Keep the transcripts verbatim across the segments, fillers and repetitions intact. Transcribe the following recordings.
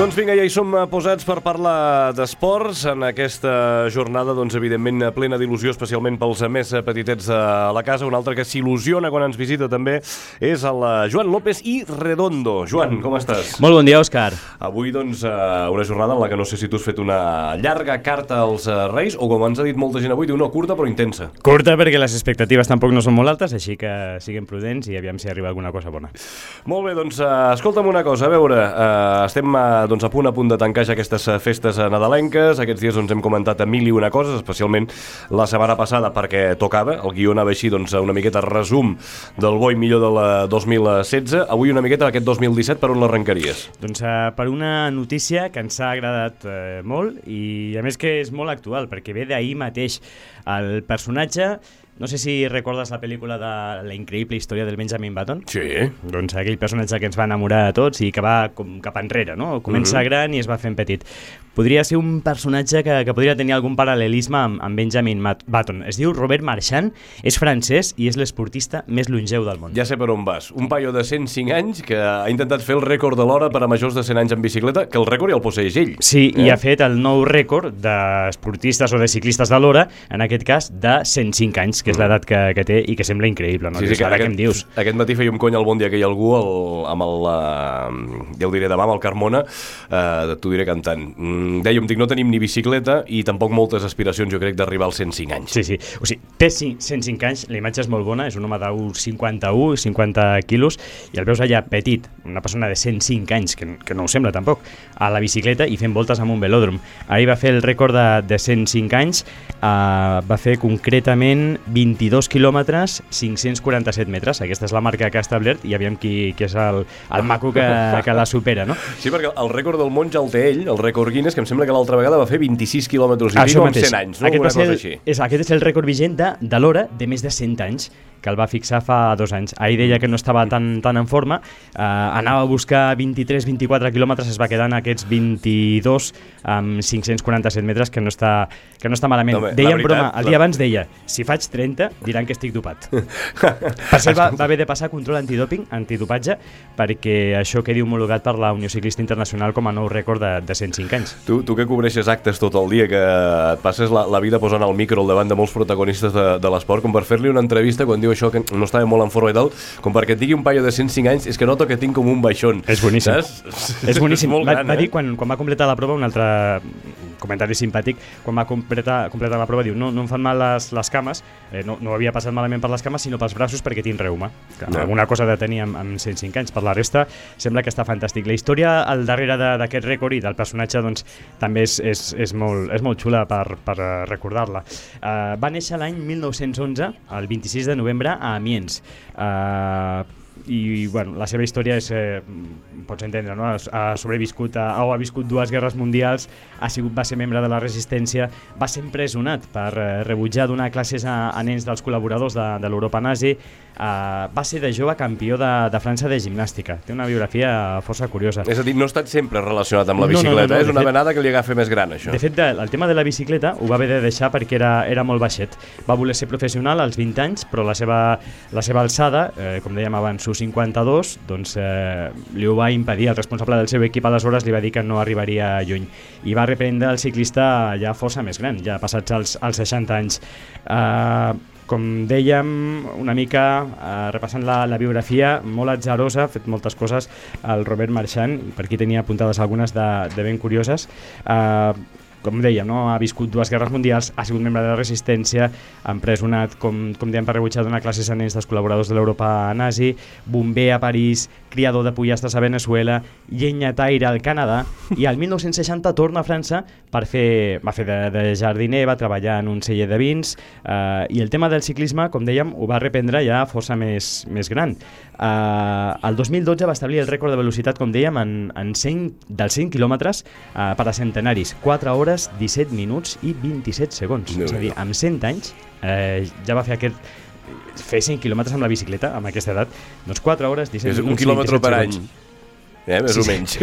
Doncs vinga, ja hi som posats per parlar d'esports en aquesta jornada, doncs evidentment plena d'il·lusió, especialment pels més petitets de la casa. Un altre que s'il·lusiona quan ens visita també és el Joan López i Redondo. Joan, com estàs? Molt bon dia, Òscar. Avui, doncs, una jornada en la que no sé si tu has fet una llarga carta als Reis o, com ens ha dit molta gent avui, una curta però intensa. Curta perquè les expectatives tampoc no són molt altes, així que siguem prudents i aviam si arriba alguna cosa bona. Molt bé, doncs, escolta'm una cosa, a veure, estem doncs, a punt a punt de tancar ja aquestes festes nadalenques. Aquests dies doncs, hem comentat mil i una coses, especialment la setmana passada perquè tocava, el guió anava així doncs, una miqueta resum del bo i millor del dos mil setze. Avui una miqueta aquest dos mil disset, per on l'arrencaries? Doncs uh, per una notícia que ens ha agradat uh, molt i a més que és molt actual perquè ve d'ahir mateix. El personatge, no sé si recordes la pel·lícula de La increïble història del Benjamin Button. Sí. Doncs aquell personatge que ens va enamorar a tots i que va com cap enrere, no? Comença mm-hmm. gran i es va fent petit. Podria ser un personatge que, que podria tenir algun paral·lelisme amb, amb Benjamin Button. Es diu Robert Marchand, és francès i és l'esportista més longeu del món. Ja sé per on vas. Un paio de cent cinc anys que ha intentat fer el rècord de l'hora per a majors de cent anys en bicicleta, que el rècord ja el posseeix ell. Sí, eh? I ha fet el nou rècord d'esportistes o de ciclistes de l'hora, en aquest cas de cent cinc anys, que és l'edat que, que té i que sembla increïble, no? Sí, sí, que ara aquest, que em dius. Aquest matí feia un cony al bon dia que hi ha algú el, amb el, uh, ja ho diré demà, amb el Carmona, uh, t'ho diré cantant. Mm, dèiem, dic, no tenim ni bicicleta i tampoc moltes aspiracions, jo crec, d'arribar als cent cinc anys. Sí, sí, o sigui, té cent cinc anys, la imatge és molt bona, és un home d'un cinquanta-u, cinquanta quilos, i el veus allà petit, una persona de cent cinc anys, que, que no ho sembla tampoc, a la bicicleta i fent voltes amb un velòdrom. Ahir va fer el rècord de, de cent cinc anys, uh, va fer concretament vint-i-dos quilòmetres, cinc-cents quaranta-set metres. Aquesta és la marca que ha establert i aviam qui, qui és el, el maco que, que la supera, no? Sí, perquè el rècord del món ja el té ell, el rècord Guinness, que em sembla que l'altra vegada va fer vint-i-sis quilòmetres i pico amb cent anys, no? Aquest, Una cosa el, així. És, aquest és el rècord vigent de, de l'hora de més de cent anys, que el va fixar fa dos anys. Ahir deia que no estava tan, tan en forma, eh, anava a buscar vint-i-tres vint-i-quatre quilòmetres, es va quedar en aquests vint-i-dos amb cinc-cents quaranta-set metres, que no està, que no està malament. No, deia en veritat, broma, el dia la... abans deia, si faig trenta, diran que estic dopat. Per cert, va, va haver de passar control antidòping, antidopatge, perquè això quedi homologat per la Unió Ciclista Internacional com a nou rècord de, de cent cinc anys. Tu, tu que cobreixes actes tot el dia, que et passes la, la vida posant el micro al davant de molts protagonistes de, de l'esport, com per fer-li una entrevista quan diu això que no estava molt en forma i tal, com perquè et digui un paio de cent cinc anys, és que noto que tinc com un baixón. És boníssim. Saps? És boníssim. És molt va, gran, va eh? dir quan, quan va completar la prova, un altre comentari simpàtic, quan va completar, completar la prova, diu, no, no em fan mal les, les cames, eh, no, no havia passat malament per les cames, sinó pels braços perquè tinc reuma. Que no. Alguna cosa de tenir amb, amb cent cinc anys. Per la resta, sembla que està fantàstic. La història al darrere d'aquest rècord i del personatge, doncs, també és, és, és, molt, és molt xula per, per recordar-la. Uh, va néixer l'any mil nou-cents onze, el vint-i-sis de novembre, a Amiens. Uh, i bueno, la seva història és, eh, pots entendre, no? Ha sobreviscut a, o ha viscut dues guerres mundials, ha sigut, va ser membre de la resistència, va ser empresonat per eh, rebutjar donar classes a, a nens dels col·laboradors de, de l'Europa nazi, eh, va ser de jove campió de, de França de gimnàstica. Té una biografia força curiosa. És a dir, no ha estat sempre relacionat amb la bicicleta, no, no, no, no, és una fet, venada que li agafa més gran, això. De fet, de, el tema de la bicicleta ho va haver de deixar perquè era, era molt baixet. Va voler ser professional als vint anys, però la seva, la seva alçada, eh, com dèiem abans, cinquanta-dos, doncs eh, li ho va impedir. El responsable del seu equip aleshores li va dir que no arribaria lluny i va reprendre el ciclista ja força més gran, ja passats els, els seixanta anys. Eh, com dèiem, una mica eh, repassant la, la biografia, molt atzarosa, ha fet moltes coses el Robert Marchand, i per aquí tenia apuntades algunes de, de ben curioses. Eh, com dèiem, no? Ha viscut dues guerres mundials, ha sigut membre de la resistència, empresonat, com, com dèiem, per rebutjar donar classes a nens dels col·laboradors de l'Europa nazi, bomber a París, criador de pollastres a Venezuela, llenyataire al Canadà, i al mil nou-cents seixanta torna a França per fer, va fer de, de jardiner, va treballar en un celler de vins, eh, i el tema del ciclisme, com dèiem, ho va reprendre ja força més, més gran. Eh, el dos mil dotze va establir el rècord de velocitat, com dèiem, en, en cent, dels cent quilòmetres eh, per a centenaris, quatre hores, disset minuts i vint-i-set segons. No, és a dir, amb cent anys eh, ja va fer aquest fer cent quilòmetres amb la bicicleta, amb aquesta edat, doncs quatre hores, disset minuts i vint-i-set segons. Un quilòmetre per any. eh, més sí, o menys.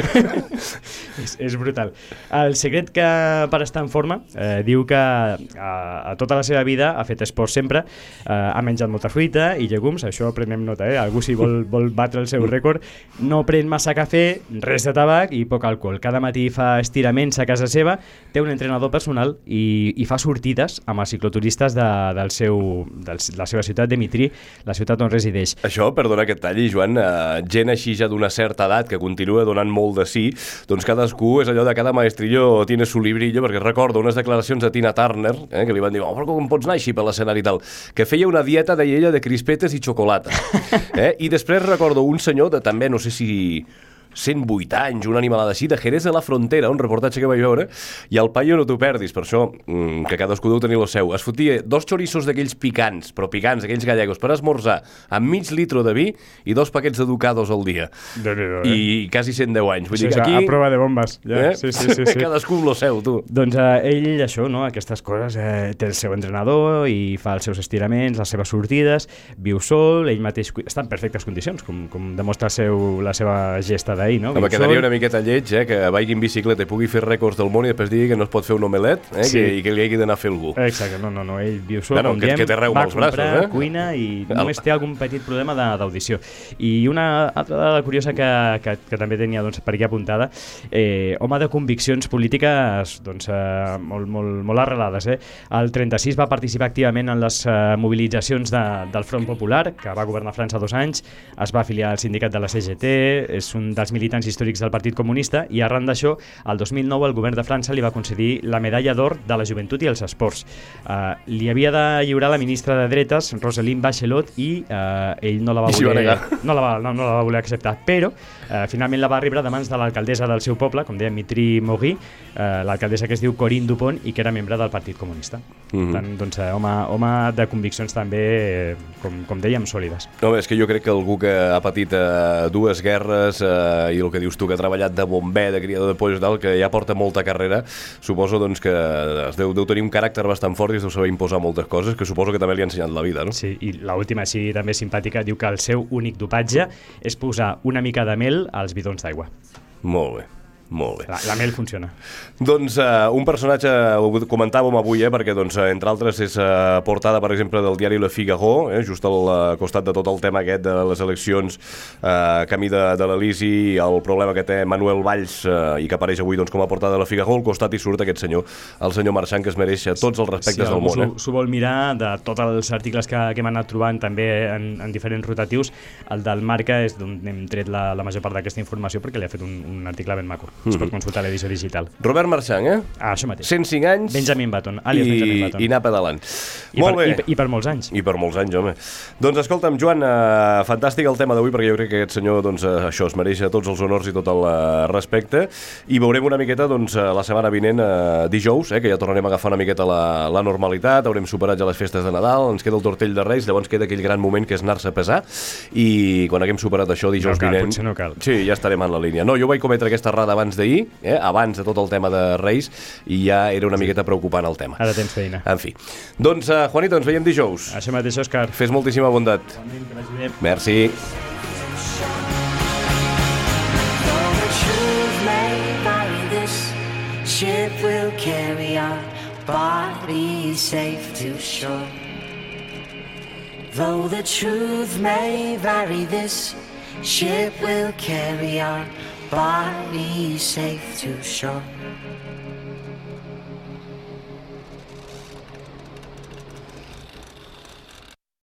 és, és brutal. El secret que per estar en forma eh, diu que a, a tota la seva vida ha fet esport sempre, eh, ha menjat molta fruita i llegums, això prenem nota, eh? Algú si vol, vol batre el seu rècord, no pren massa cafè, res de tabac i poc alcohol. Cada matí fa estiraments a casa seva, té un entrenador personal i, i fa sortides amb els cicloturistes de, del seu, del, de la seva ciutat de Mitrí, la ciutat on resideix. Això, perdona que et talli, Joan, eh, gent així ja d'una certa edat que continua donant molt de sí, doncs cadascú és allò de cada maestrillo tiene su librillo, perquè recordo unes declaracions de Tina Turner, eh, que li van dir, oh, però com pots anar així per l'escenari i tal, que feia una dieta, deia ella, de crispetes i xocolata. Eh? I després recordo un senyor de també, no sé si cent vuit anys, una animalada així, de Jerez de la Frontera, un reportatge que vaig veure, i el paio no t'ho perdis, per això, mmm, que cadascú deu tenir el seu. Es fotia dos chorizos d'aquells picants, però picants, aquells gallegos, per esmorzar, amb mig litro de vi i dos paquets de ducados al dia. De eh? I quasi cent deu anys. Vull sí, dir que aquí... A prova de bombes. Ja. Eh? Sí, sí, sí, sí. Cadascú amb el seu, tu. Doncs eh, ell, això, no? Aquestes coses, eh, té el seu entrenador i fa els seus estiraments, les seves sortides, viu sol, ell mateix està en perfectes condicions, com, com demostra el seu, la seva gesta d'ahir, no? Home, quedaria una miqueta lleig, eh, que vagi en bicicleta i pugui fer rècords del món i després digui que no es pot fer un omelet, eh, sí. que, i que li hagi d'anar a fer algú. Exacte, no, no, no, ell viu sol, no, no, com que, diem, que té reu va els comprar, braços, eh? cuina i només té algun petit problema d'audició. I una altra dada curiosa que, que, que també tenia doncs, per aquí apuntada, eh, home de conviccions polítiques doncs, eh, molt, molt, molt arrelades. Eh? El trenta-sis va participar activament en les eh, mobilitzacions de, del Front Popular, que va governar França dos anys, es va afiliar al sindicat de la C G T, és un dels militants històrics del Partit Comunista, i arran d'això, el dos mil nou el govern de França li va concedir la medalla d'or de la joventut i els esports. Uh, li havia de lliurar la ministra de Dretes, Roselyne Bachelot, i uh, ell no la va voler, no la va, no, no la va voler acceptar, però uh, finalment la va rebre de mans de l'alcaldessa del seu poble, com deia Mitry Mogui, uh, l'alcaldessa que es diu Corinne Dupont i que era membre del Partit Comunista. Mm-hmm. Tant, doncs, uh, home, home de conviccions també, eh, com, com dèiem, sòlides. No, és que jo crec que algú que ha patit uh, dues guerres uh, i el que dius tu, que ha treballat de bomber, de criador de pollos, tal, que ja porta molta carrera, suposo doncs, que es deu, deu tenir un caràcter bastant fort i es deu saber imposar moltes coses, que suposo que també li ha ensenyat la vida, no? Sí, i l'última, així també simpàtica, diu que el seu únic dopatge és posar una mica de mel als bidons d'aigua. Molt bé. Molt bé. La, la mel funciona. Doncs uh, un personatge, ho comentàvem avui, eh, perquè doncs, entre altres és uh, portada, per exemple, del diari Le Figaro, eh, just al uh, costat de tot el tema aquest de les eleccions, uh, camí de, de l'Elisi, el problema que té Manuel Valls uh, i que apareix avui doncs, com a portada de Le Figaro, al costat hi surt aquest senyor, el senyor Marchand, que es mereix tots els respectes sí, del món. Eh? S'ho vol mirar, de tots els articles que, que hem anat trobant també en, en diferents rotatius, el del Marca és d'on hem tret la, la major part d'aquesta informació perquè li ha fet un, un article ben maco. Mm-hmm. Es pot consultar l'edició digital. Robert Marchand, eh? Ah, això mateix. cent cinc anys. Benjamin Button, àlies i, Benjamin Button. I anar pedalant. I Molt per, bé. I, I per molts anys. I per molts anys, home. Doncs escolta'm, Joan, eh, fantàstic el tema d'avui, perquè jo crec que aquest senyor, doncs, eh, això, es mereix tots els honors i tot el eh, respecte, i veurem una miqueta, doncs, eh, la setmana vinent, eh, dijous, eh, que ja tornarem a agafar una miqueta la, la normalitat, haurem superat ja les festes de Nadal, ens queda el tortell de Reis, llavors queda aquell gran moment que és anar-se a pesar, i quan haguem superat això dijous no cal, vinent... no cal. Sí, ja estarem en la línia. No, jo vaig cometre aquesta errada abans d'ahir, eh, abans de tot el tema de Reis, i ja era una miqueta preocupant el tema. Ara tens feina. En fi. Doncs, uh, Juanito, ens veiem dijous. Això mateix, Òscar. Fes moltíssima bondat. Igualment, que vagi bé. Merci. Ship will carry our bodies safe to shore. Though the truth may vary, this ship will carry our bodies safe to shore.